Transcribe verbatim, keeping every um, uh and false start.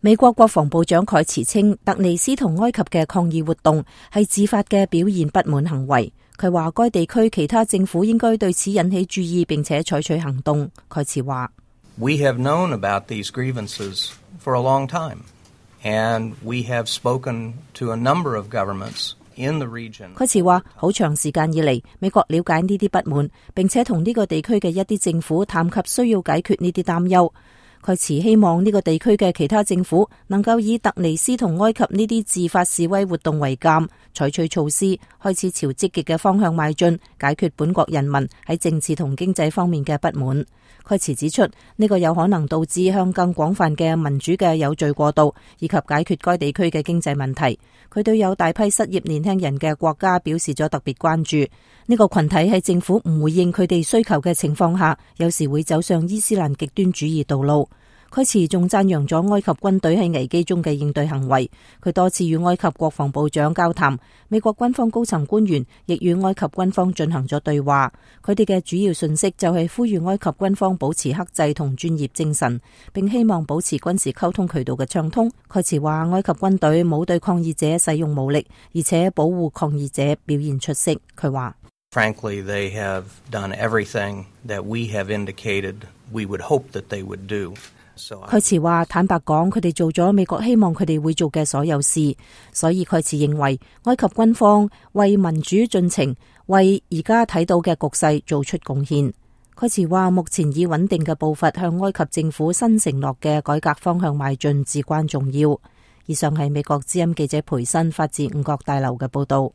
美國國防部長蓋茨稱，突尼斯同埃及嘅抗議活動係自發嘅表現不滿行為。佢話該地區其他政府應該對此引起注意，並且採取行動。蓋茨話 We have known about these grievances for a long time, and we have spoken to a number of governments in the region. 蓋茨話好長時間以嚟，美國了解呢啲不滿，並且同呢個地區嘅一啲政府談及需要解決呢啲擔憂。蓋茨希望呢個地區嘅其他政府能夠以突尼斯同埃及呢啲自發示威活動為鑑，採取措施，開始朝積極嘅方向邁進，解決本國人民喺政治同經濟方面嘅不滿。蓋茨指出，呢個有可能導致向更廣泛嘅民主嘅有序過渡，以及解決該地區嘅經濟問題。佢對有大批失業年輕人嘅國家表示咗特別關注。呢個群體喺政府唔回應佢哋需求嘅情況下，有時會走上伊斯蘭極端主義道路。蓋茨仲讚揚咗埃及軍隊喺危機中嘅應對行為。佢多次與埃及國防部長交談，美國軍方高層官員亦與埃及軍方進行咗對話。佢哋嘅主要訊息就係呼籲埃及軍方保持克制同專業精神，並希望保持軍事溝通渠道嘅暢通。蓋茨話，埃及軍隊冇對抗議者使用武力，而且保護抗議者表現出色。佢話 Frankly, they have done everything that we have indicated we would hope that they would do. 蓋茨話，坦白講，佢哋做咗美國希望佢哋會做嘅所有事，所以蓋茨認為埃及軍方為民主進程、為而家睇到嘅局勢做出貢獻。蓋茨話，目前以穩定嘅步伐向埃及政府新承諾嘅改革方向邁進至關重要。以上係美國之音記者培新發自五角大樓嘅報道。